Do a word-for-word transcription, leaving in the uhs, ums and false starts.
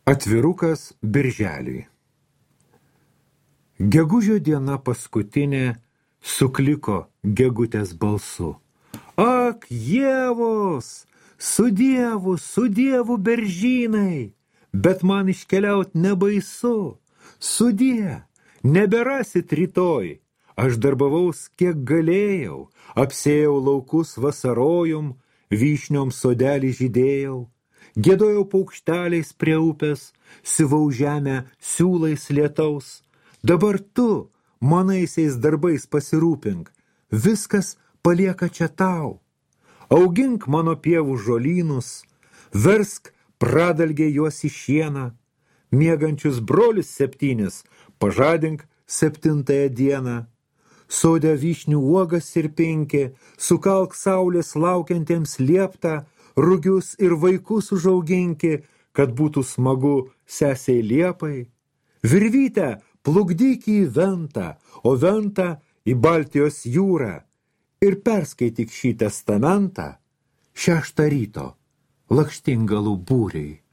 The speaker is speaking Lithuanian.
Atvirukas birželiui. Gegužio diena paskutinė sukliko gegutės balsu. Ak, Ievos, su Dievu, su Dievu beržynai, bet man iškeliaut nebaisu. Sudie, neberasit rytoj. Aš darbavaus kiek galėjau, apsėjau laukus vasarojum, vyšniom sodelį žydėjau. Giedojau paukšteliais prie upės, siuvau žemę siūlais lietaus. Dabar tu manaisiais darbais pasirūpink, viskas palieka čia tau. Augink mano pievų žolynus, versk pradalgė juos į šieną. Miegančius brolius septynis pažadink septintąją dieną. Sode vyšnių uogas ir pinki, sukalk saulės laukiantiems lieptą, rugius ir vaikus užauginki, kad būtų smagu sesiai Liepai. Virvytę plukdyk į Ventą, o Ventą į Baltijos jūrą ir perskaityk šį testamentą šeštą ryto Lakštingalų būriui.